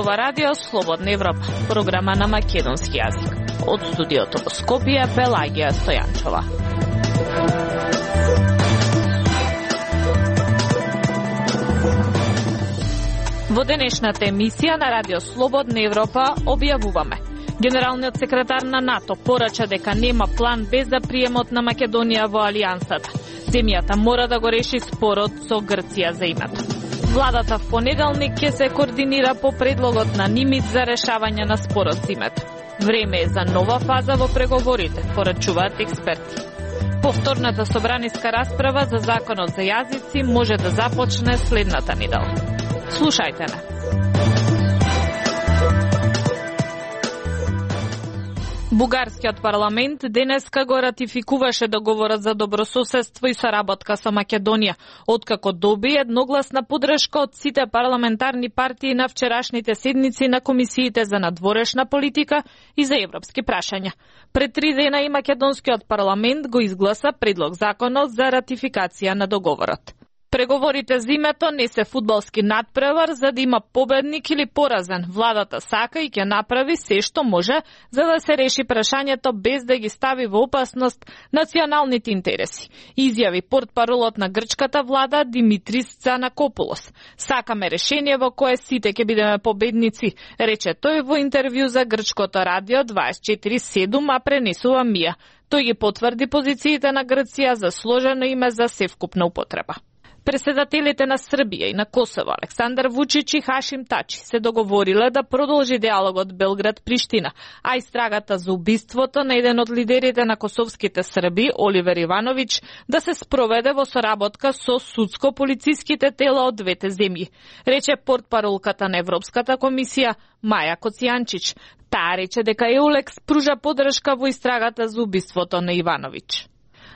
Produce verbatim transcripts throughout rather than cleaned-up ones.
ова радио Слободна Европа, програма на македонски јазик. Од студиото во Скопје, Пелагија Стојанчова. Во денешната емисија на радио Слободна Европа објавуваме: Генералниот секретар на НАТО порача дека нема план без да приемот на Македонија во Алијансата. Земјата мора да го реши спорот со Грција за името. Владата в понеделник ќе се координира по предлогот на Нимит за решавање на спорот за името. Време е за нова фаза во преговорите, порачуваат експерти. Повторната собраниска расправа за законот за јазици може да започне следната недела. Слушајте на. Бугарскиот парламент денеска го ратификуваше договорот за добрососедство и соработка со Македонија, откако доби едногласна поддршка од сите парламентарни партии на вчерашните седници на комисиите за надворешна политика и за европски прашања. Пред три дена и македонскиот парламент го изгласа предлог законот за ратификација на договорот. Преговорите за името не се фудбалски надпревар за да има победник или поразен. Владата сака и ќе направи се што може за да се реши прашањето без да ги стави во опасност националните интереси, изјави портпаролот на грчката влада Димитрис Цанакопулос. Сакаме решение во кое сите ќе бидеме победници, рече тој во интервју за грчкото радио дваесет и четири седум, а пренесува Мија. Тој ги потврди позициите на Грција за сложено име за севкупна употреба. Председателите на Србија и на Косово, Александар Вучич и Хашим Тачи, се договориле да продолжи диалогот Белград-Приштина, а истрагата за убиството на еден од лидерите на косовските срби, Оливер Ивановиќ, да се спроведе во соработка со судско-полициските тела од двете земји, рече портпаролката на Европската комисија Маја Коцијанчич. Таа рече дека Еулекс пружа поддршка во истрагата за убиството на Ивановиќ.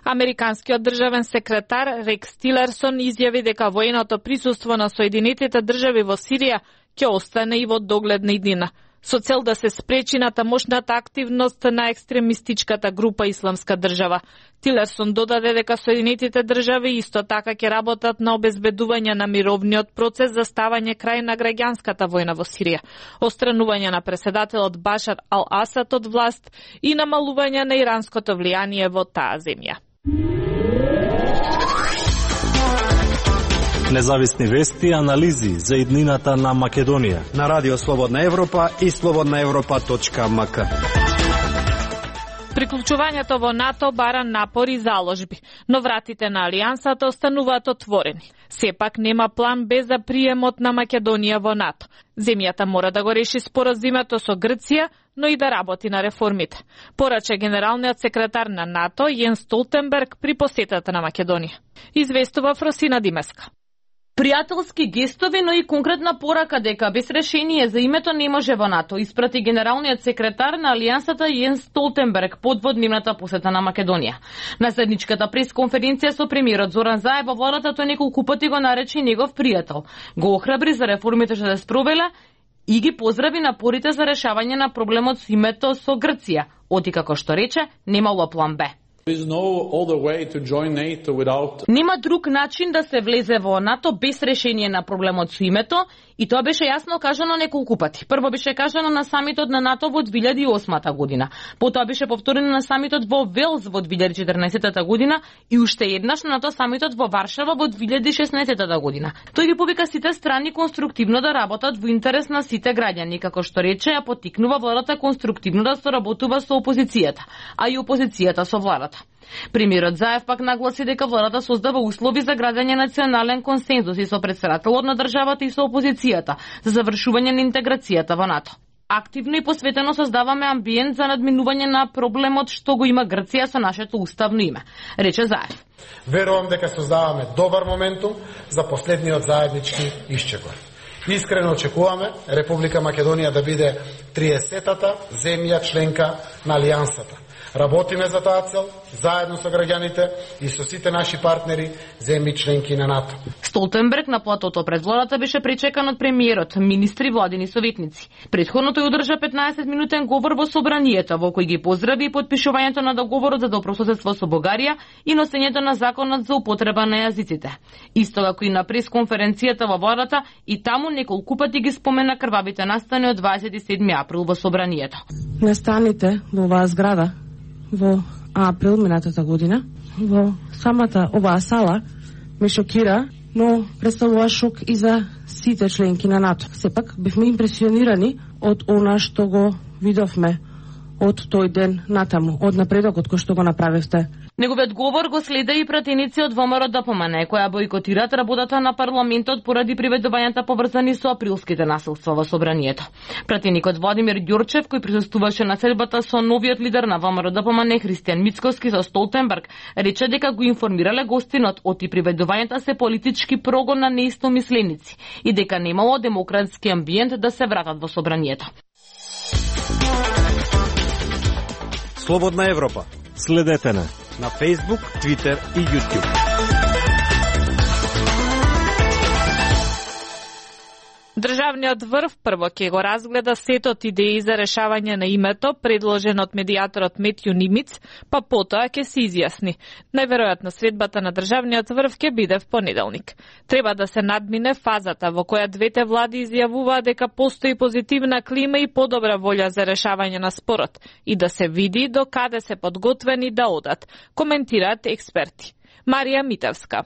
Американскиот државен секретар Рекс Тилерсон изјави дека военото присуство на Соединетите држави во Сирија ќе остане и во догледна иднина, со цел да се спречи на тамошната активност на екстремистичката група Исламска држава. Тилерсон додаде дека Соединетите држави исто така ќе работат на обезбедување на мировниот процес за ставање крај на граѓанската војна во Сирија, отстранување на преседателот Башар ал-Асад од власт и намалување на иранското влијание во таа земја. Независни вести и анализи за иднината на Македонија на Радио Слободна Европа и слободна европа точка ем ка. Приклучувањето во НАТО бара напори и заложби, но вратите на Алијансата остануваат отворени. Сепак нема план без да приемот на Македонија во НАТО. Земјата мора да го реши споразумето со Грција, но и да работи на реформите, порача генералниот секретар на НАТО Јенс Столтенберг при посетата на Македонија. Известува Фросина Димеска. Пријателски гестови, но и конкретна порака дека без решение за името не може во НАТО, испрати генералниот секретар на Алијансата Јенс Столтенберг под водневната посета на Македонија. На седничката пресконференција со премиерот Зоран Заев во владата тој неколку пати го нарече негов пријател. Го охрабри за реформите што се спровеле и ги поздрави напорите за решавање на проблемот со името со Грција, оти како што рече, немало план Б. Нема друг начин да се влезе во НАТО без решение на проблемот со името, и тоа беше јасно кажано неколку пати. Прво беше кажано на самитот на НАТО во две илјади и осма година, потоа беше повторено на самитот во Велс во две илјади и четрнаесета година и уште еднаш на НАТО самитот во Варшава во две илјади и шеснаесета година. Тој ги повика сите страни конструктивно да работат во интерес на сите граѓани, како што рече, ја поттикнува владата конструктивно да соработува со опозицијата, а и опозицијата со владата. Премиерот Заев пак нагласи дека владата создава услови за градење национален консензус и со претседателот на државата и со опозицијата за завршување на интеграцијата во НАТО. Активно и посветено создаваме амбиент за надминување на проблемот што го има Грција со нашето уставно име, рече Заев. Верувам дека создаваме добар моментум за последниот заеднички исчекор. Искрено очекуваме Република Македонија да биде триесетата земја членка на Алијансата. Работиме за таа цел, заедно со граѓаните и со сите наши партнери, земји членки на НАТО. Столтенберг на платото пред владата беше пречекан од премиерот, министри, владини советници. Претходно тој одржа петнаесет минутен говор во собранието, во кој ги поздрави и подпишувањето на договорот за добрососедство со Бугарија и носењето на законот за употреба на јазиците. Исто како и на пресконференцијата во владата, и таму Таму неколку пати ги спомена крвавите настани од дваесет и седми април во собранието. Настаните во оваа зграда во април минатата година во самата оваа сала ме шокира, но представува шок и за сите членки на НАТО. Сепак бевме импресионирани од она што го видовме од тој ден натаму, од напредокот кој што го направивте. Неговиот говор го следа и пратеници од ВМРО Д П М Н, која бојкотираат работата на парламентот поради приведувањата поврзани со априлските насилства во собранието. Пратеникот Владимир Ѓурчев, кој присуствуваше на седбата со новиот лидер на ВМРО Д П М Н Христијан Мицкоски со Столтенберг, рече дека го информирале гостинот оти приведувањата се политички прогон на неистомисленици и дека немало демократски амбиент да се вратат во собранието. Слободна Европа. Следете на на Facebook, Twitter и YouTube. Државниот врв прво ќе го разгледа сетот идеи за решавање на името, предложен од медијаторот Метју Нимиц, па потоа ќе се изјасни. Најверојатно средбата на државниот врв ќе биде в понеделник. Треба да се надмине фазата во која двете влади изјавуваат дека постои позитивна клима и подобра волја за решавање на спорот и да се види до каде се подготвени да одат, коментираат експерти. Марија Митевска.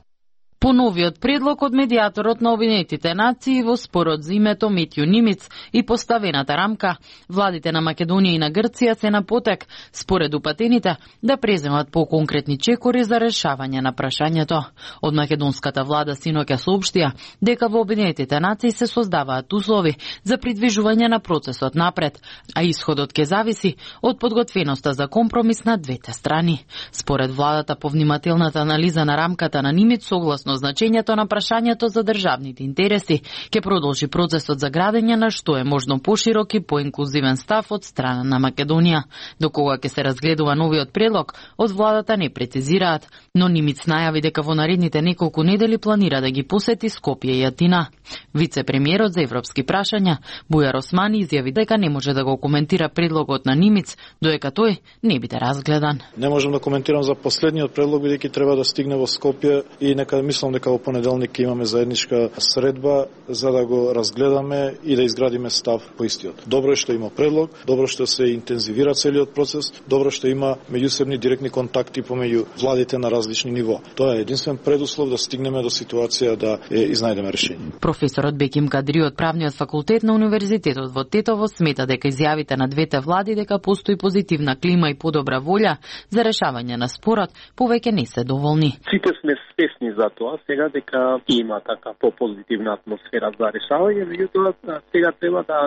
По новиот предлог од медијаторот на Обединетите нации во спорот за името Метју Нимиц и поставената рамка, владите на Македонија и на Грција се на потек, според упатените, да преземат по-конкретни чекори за решавање на прашањето. Од македонската влада синоќа соопштија дека во Обединетите нации се создаваат услови за придвижување на процесот напред, а исходот ќе зависи од подготвеноста за компромис на двете страни. Според владата, повнимателната анализа на рамката на Нимиц согласно значењето на прашањето за државните интереси ќе продолжи процесот за градење на што е можно поширок и поинклузивен став од страна на Македонија. До кога ќе се разгледува новиот предлог, од владата не прецизираат, но Нимиц најави дека во наредните неколку недели планира да ги посети Скопје и Атина. Вице-премиерот за европски прашања Бујар Османи изјави дека не може да го коментира предлогот на Нимиц додека тој не биде разгледан. Не можам да коментирам за последниот предлог бидејќи треба да стигне во Скопје и нека мислам дека во понеделник имаме заедничка средба за да го разгледаме и да изградиме став по истиот. Добро е што има предлог, добро што се интензивира целиот процес, добро што има меѓусебни директни контакти помеѓу владите на различни ниво. Тоа е единствен предуслов да стигнеме до ситуација да е изнајдеме решение. Професорот Беким Кадри од правниот факултет на Универзитетот во Тетово смета дека изјавите на двете влади дека постои позитивна клима и подобра волја за решавање на спорот повеќе не се доволни. Сите сме свесни за тоа сега дека има така по-позитивна атмосфера за решавање, меѓутоа сега треба да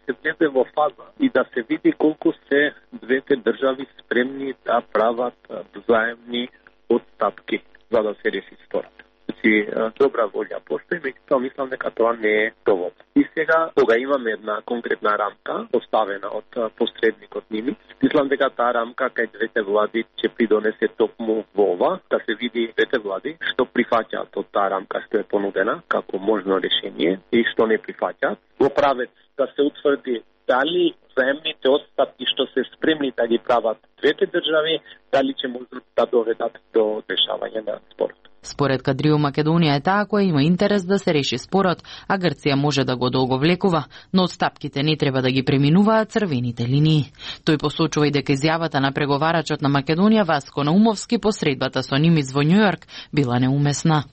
се влезе во фаза и да се види колку се двете држави спремни да прават взаемни отстапки за да се реши спорот. Значи, добра волја постои, меѓутоа мислам дека тоа не е доволно. И сега, кога имаме една конкретна рамка, поставена од посредникот Нимиц, мислам дека таа рамка кај двете влади ќе придонесе токму во ова, да се види двете влади што прифаќаат од таа рамка што е понудена како можно решение и што не прифаќаат. Во правец да се утврди дали взаемните отстапки што се спремни да ги прават двете држави, дали ќе можат да доведат до решавање на спорот. Според Кадрио, Македонија е таа која има интерес да се реши спорот, а Грција може да го долговлекува, но отстапките не треба да ги преминуваат црвените линии. Тој посочува и дека изјавата на преговарачот на Македонија Васко Наумовски по средбата со Нимиц во Њујорк била неумесна.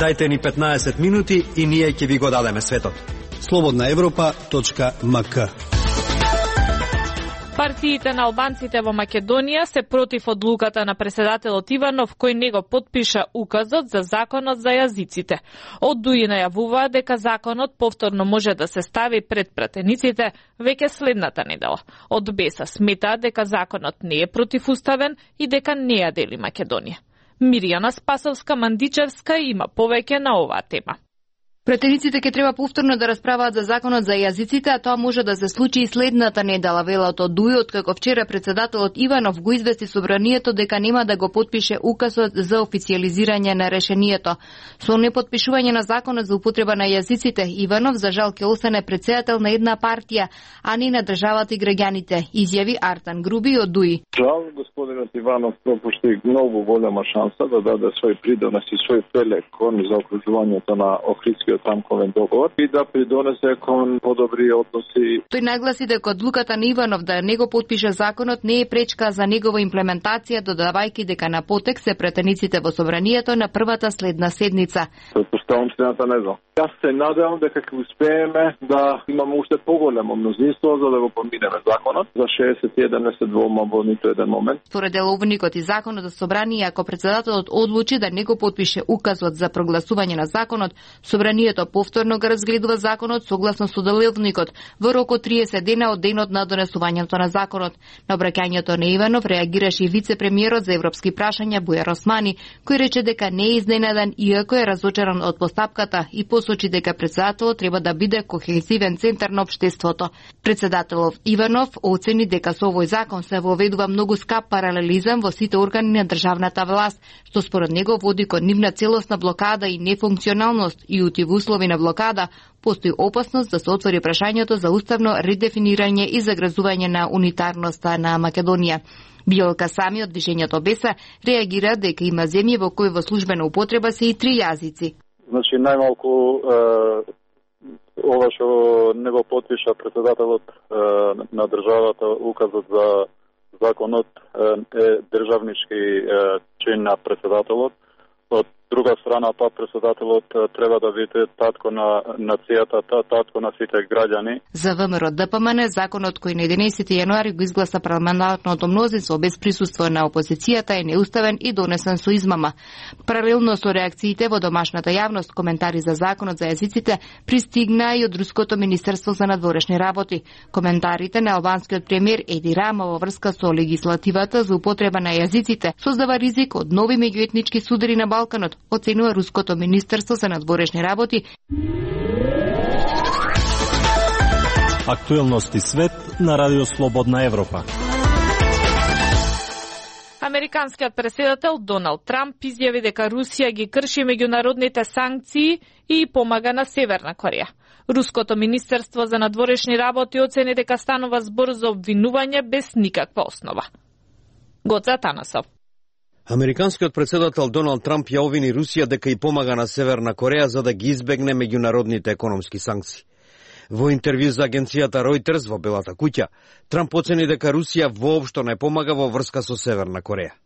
Дајте ни петнаесет минути и ние ќе ви го дадеме светот. слободна европа точка ем ка. Партиите на албанците во Македонија се против одлуката на преседателот Иванов кој не го потпиша указот за законот за јазиците. Од ДУИ најавуваа дека законот повторно може да се стави пред пратениците веќе следната недела. Од БЕСА сметаат дека законот не е противуставен и дека не ја дели Македонија. Мирјана Спасовска-Мандичевска има повеќе на оваа тема. Претениците ќе треба повторно да расправаат за законот за јазиците, а тоа може да се случи и следната недела, велат од ДУИ, откако вчера председателот Иванов го извести собранието дека нема да го потпише указот за официјализирање на решението. Со непотпишување на законот за употреба на јазиците, Иванов за жал ќе остане председател на една партија, а не на државата и граѓаните, изјави Артан Груби од ДУИ. Жал, господинот Иванов пропушти многу голема шанса да даде свој придонес и свој пелек кон за окружувањето на Охридскиот рамковен договор и да придонесе кон подобри односи. Тој нагласи дека одлуката на Иванов да не го потпише законот не е пречка за негова имплементација, додавајќи дека на потек се претениците во собранието на првата следна седница. Предпоставам следната не знам. Јас се надевам дека ќе успееме да имаме уште поголемо мнозинство за да го поминеме законот. За шеесет и еден не се двома во ниту еден момент. Според деловникот и законот за собрание, ако председателот одлучи да не го потпише указот за прогласување на законот, собранието повторно го разгледува законот согласно со деловникот во рок од триесет дена од денот на донесувањето на законот. На обраќањето на Иванов реагираше и вице-премиерот за европски прашања Бујар Османи, кој рече дека не е изненаден иако е разочаран од постапката и посочи дека председателот треба да биде кохезивен центар на општеството. Председателов Иванов оцени дека со овој закон се воведува многу скап паралелизам во сите органи на државната власт, што според него води кон нивна целосна блокада и нефункционалност и ути во услови на блокада постои опасност да се отвори прашањето за уставно редефинирање и загрозување на унитарноста на Македонија. Биолка Сами од движењето Беса реагира дека има земји во кои во службена употреба се и три јазици. Значи најмалку е, ова што не го потпиша председателот е, на државата указот за законот е, е државнички е, чин на председателот. Од друга страна, па председателот треба да биде татко на нацијата, татко на сите граѓани. За ВМРО Д П М Н, законот кој на единаесети јануари го изгласа парламентарното мнозинство без присуство на опозицијата е неуставен и донесен со измама. Паралелно со реакциите во домашната јавност, коментари за законот за јазиците пристигна и од Руското министерство за надворешни работи. Коментарите на албанскиот премиер Еди Рама во врска со легислативата за употреба на јазиците создава ризик од нови меѓуетнички судари на Балканот, оценува Руското министерство за надворешни работи. Актуелности свет на Радио Слободна Европа. Американскиот претседател Доналд Трамп изјави дека Русија ги крши меѓународните санкции и помага на Северна Кореја. Руското министерство за надворешни работи оцени дека станува збор за обвинување без никаква основа. Гоца Танасов. Американскиот претседател Доналд Трамп ја обвини Русија дека и помага на Северна Кореја за да ги избегне меѓународните економски санкции. Во интервју за агенцијата Reuters во Белата куќа, Трамп оцени дека Русија воопшто не помага во врска со Северна Кореја.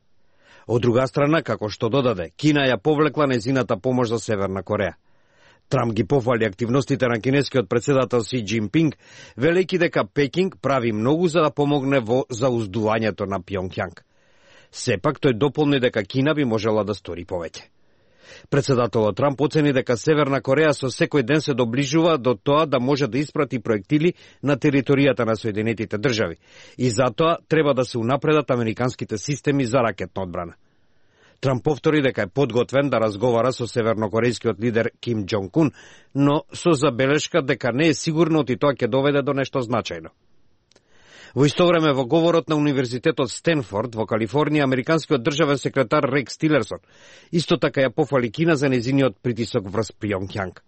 Од друга страна, како што додаде, Кина ја повлекла нејзината помош за Северна Кореја. Трамп ги пофали активностите на кинескиот претседател Си Џинпинг, велејќи дека Пекинг прави многу за да помогне во зауздувањето на Пјонкјанг. Сепак тој дополни дека Кина би можела да стори повеќе. Председателот Трамп оцени дека Северна Кореја со секој ден се доближува до тоа да може да испрати проектили на територијата на Соединетите држави и затоа треба да се унапредат американските системи за ракетна одбрана. Трамп повтори дека е подготвен да разговара со севернокорејскиот лидер Ким Џонг Ун, но со забелешка дека не е сигурно и тоа ќе доведе до нешто значајно. Во исто време, во говорот на Универзитетот Стенфорд во Калифорнија, американскиот државен секретар Рекс Тилерсон исто така ја пофали Кина за нејзиниот притисок врз Пјонкјанг.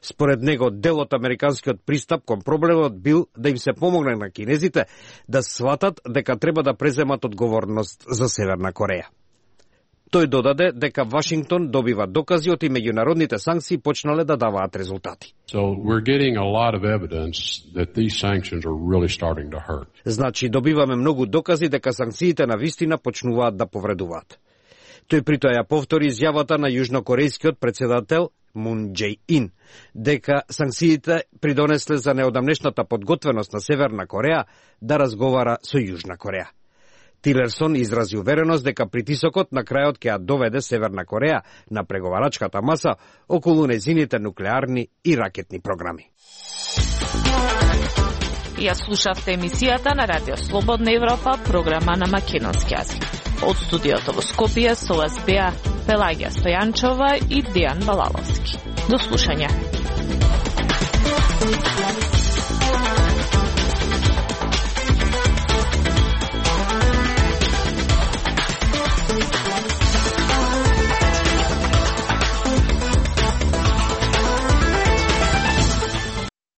Според него, дел од американскиот пристап кон проблемот бил да им се помогне на кинезите да сватат дека треба да преземат одговорност за Северна Кореја. Тој додаде дека Вашингтон добива докази од и меѓународните санкции почнале да даваат резултати. So we're getting a lot of evidence that these sanctions are really starting to hurt. Значи добиваме многу докази дека санкциите на вистина почнуваат да повредуваат. Тој притоа ја повтори изјавата на јужнокорејскиот претседател Мун Џеј Ин дека санкциите придонесле за неодамнешната подготвеност на Северна Кореја да разговара со Јужна Кореја. Тилерсон изрази увереност дека притисокот на крајот ќе ја доведе Северна Кореја на преговарачката маса околу нејзините нуклеарни и ракетни програми. Ја слушавте емисијата на Радио Слободна Европа, програма на македонски јазик. Од студиото во Скопје со вас беа Пелагија Стојанчова и Дејан Балаловски. До слушање.